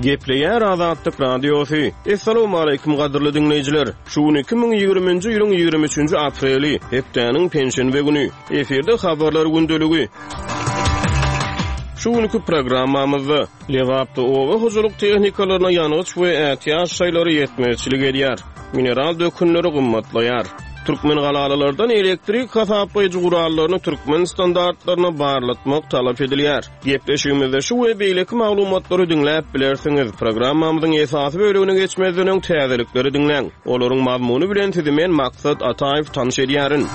Gepleýär Azatlyk Radiosy. Essalawmaleýkim gadyrly diňleýjiler! Şu gün 2020-nji ýylyň 23-nji apreli, hepdäniň penşenbe güni. Efirde habarlar gündeligi. Şu günki programmamyzda Lebapda oba hojalyk tehnikalaryna ýangyç we ätiýaç şaýlary ýetmezçilik edýär. Mineral dökünleri gymmatlaýar. Türkmengalalylardan elektrik hasaplaýjy gurallaryny türkmen standartlaryna barlatmak talap edilýär. Gepleşigimizde şu we beýleki maglumatlary diňläp bilersiňiz. Programmamyzyň esasy bölegine geçmezden öň täzelikleri diňläň. Olaryň mazmuny bilen sizi men Maksat Ataýew tanyş edýärin.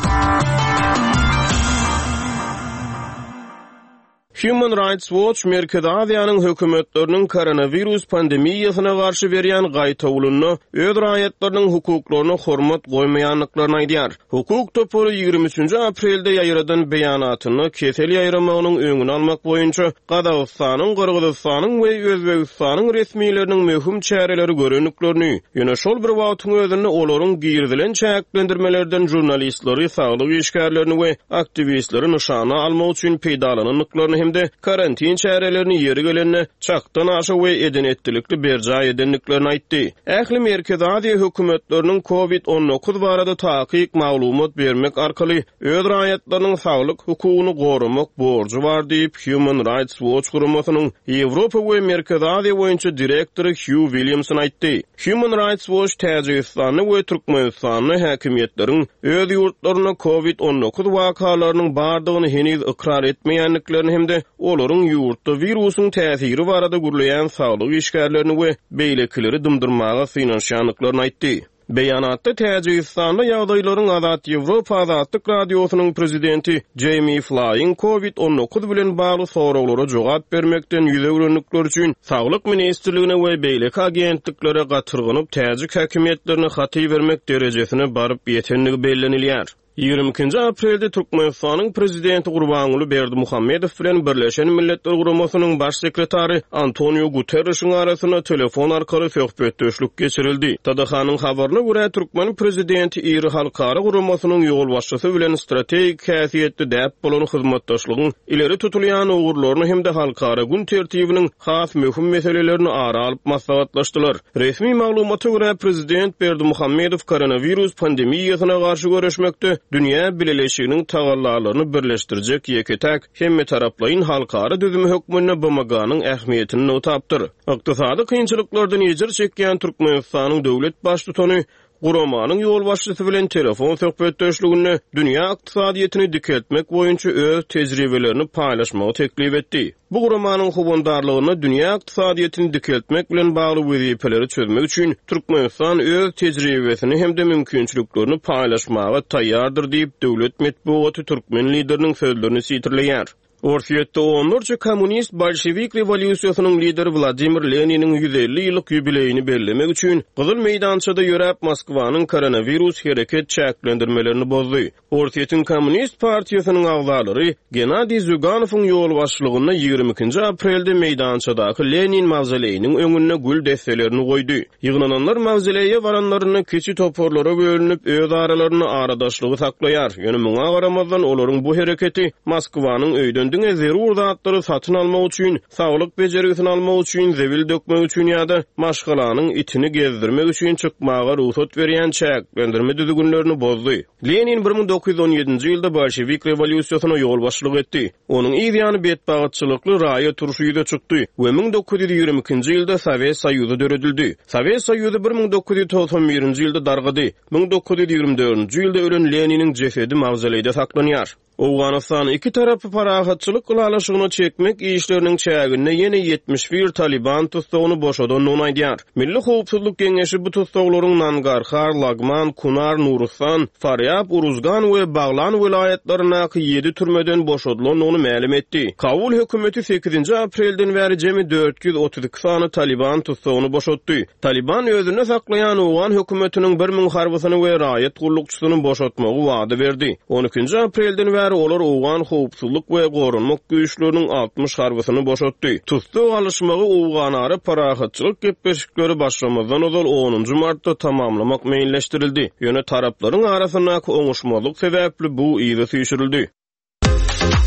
Human Rights Watch Merkezi Aziýanyň hökümetleriniň koronawirus pandemiýasyna garşy berýän gaýtawulynda öz raýatlarynyň hukuklaryna hormat goýmaýandyklaryny aýdýar. Hukuk topary 23-nji aprelde ýaýradan beýanatynda kesel ýaýramagynyň öňüni almak boýunça Gazagystanyň, Gyrgyzystanyň we Özbegistanyň resmileriniň möhüm çäreleri görendiklerini, ýöne şol bir wagtyň özünde olaryň girizilen çäklendirmelerden žurnalistleri, saglyk işgärlerini we aktiwistleri nyşana almak üçin peýdalanandyklaryny hem-de karantin çärelerini ýeri gelende çakdan aşa we eden-etdilikli berjaý edendiklerini aýtdy. Ähli Merkezi Aziýa hökümetleriniň Covid 19 barada takyk maglumat bermek arkaly öz raýatlarynyň saglyk hukugyny goramak borjy bar diýip, Human Rights Watch guramasynyň Ýewropa we Merkezi Aziýa boýunça direktory Hýu Williamson aýtdy. Human Rights Watch Täjigistanda we Türkmenistanda häkimiýetleriň öz ýurtlarynda Covid 19 wakalarynyň bardygyny heniz ykrar etmeýändiklerini hem-de olaryň ýurtda wirusyň täsiri barada gürleýän saglyk işgärlerini we beýlekileri dymdyrmaga synanyşýandyklaryny aýtdy. Beýanatda Täjigistanda ýagdaýlaryň Azat Ýewropa Azatlyk Radiosynyň prezidenti Jeými Flaýyň Covid 19 bilen bagly soraglara jogap bermekden ýüz öwrendikleri üçin Saglyk ministrligine we beýleki agentliklere gatyrganyp täjik häkimiýetlerine hat ibermek derejesine baryp ýetendigi bellenilýär. 22-nji aprelde Türkmenistanyň Prezidenti Gurbanguly Berdimuhamedow bilen Birleşen Milletler Guramasynyň Baş sekretary Antoniu Guterrişiň arasynda telefon arkaly söhbetdeşlik geçirildi. TDH-nyň habaryna görä, türkmen prezidenti iri halkara guramasynyň ýolbaşçysy bilen strategik häsiýetli däp bolan hyzmatdaşlygyň ileri tutulýan ugurlaryny hem-de halkara gün tertibiniň has möhüm meselelerini ara alyp maslahatlaşdylar. Resmi maglumata görä, prezident Berdimuhamedow koronawirus pandemiýasyna garşy göreşmekde dünýä bileleşiginiň tagallalaryny birleşdirjek ýeke-täk hemmetaraplaýyn halkara düzümi hökmünde BMG-niň ähmiýetini nygtapdyr. Ykdysady kynçylyklardan ejir çekýän Türkmenistanyň döwlet Baştutany guramanyň ýolbaşçysy bilen telefon söhbetdeşliginde dünýä ykdysadyýetini dikeltmek boýunça öz tejribelerini paýlaşmagy teklip etdi. Bu guramanyň howandarlygynda dünýä ykdysadyýetini dikeltmek bilen bagly wezipeleri çözmek üçin Türkmenistan öz tejribesini hem-de mümkinçiliklerini paýlaşmaga taýýardyr diýip, döwlet metbugaty türkmen Lideriniň sözlerini sitirleýär. Orsýetde onlarça kommunist bolşewik rewolýusiýasynyň lideri Wladimir Leniniň 150 ýyllyk ýubileýini bellemek üçin Gyzyl meýdançada ýöräp, Moskwanyň koronawirus hereket çäklendirmelerini bozdy. Orsýetiň Kommunist partiýasynyň agzalary Gennadiý Zýuganowyň ýolbaşçylygynda 22-nji aprelde meýdançadaky Lenin mawzoleýiniň öňünde gül desselerini goýdy. Ýygnananlar mawzoleýe baranlarynda kiçi toparlara bölünip, öz aralarynda aradaşlygy saklaýar. Ýöne muňa garamazdan, olaryň bu hereketi Moskwanyň öýden diňe zerur zatlary satyn almak üçin, saglyk bejergisini almak üçin, zibil dökmek üçin ýa-da maşgalanyň itini gezdirmek üçin çykmaga rugsat berýän çäklendirme düzgünlerini bozdy. Lenin 1917-nji ýylda bolşewik rewolýusiýasyna ýolbaşçylyk etdi. Onuň yz ýany betbagtçylykly raýat urşy ýüze çykdy we 1922-nji ýylda Sowet Soýuzy döredildi. Sowet Soýuzy 1991-nji ýylda dargady. 1924-nji ýylda ölen Leniniň jesedi mawzoleýde saklanýar. Owganystany iki tarapy parahatçylyk ylalaşygyna çekmek işleriniň çäginde ýene 71 talyban tussagyny boşadandygyny aýdýar. Milli howpsuzlyk geňeşi bu tussaglaryň Nangarhar, Lagman, Kunar, Nurustan, Farýab, Uruzgan we Baglan welaýatlaryndaky ýedi türmeden boşadylandygyny mälim etdi. Kabul hökümeti sekizinji aprelden bäri jemi 432 sany talyban tussagyny boşatdy. Talyban özünde saklaýan owgan hökümetiniň 1000 harbysyny we raýat gullukçysyny boşatmagy wada berdi. On ikinji aprelden bäri olar owgan howpsuzlyk we goranmak güýçleriniň 60 harbysyny boşatdy. Tussag alyşmagy owganara parahatçylyk gepleşikleri başlamazdan ozal onunjy martda tamamlamak meýilleşdirildi. Ýöne taraplaryň arasyndaky oňuşmazlyk sebäpli bu yza süýşürildi.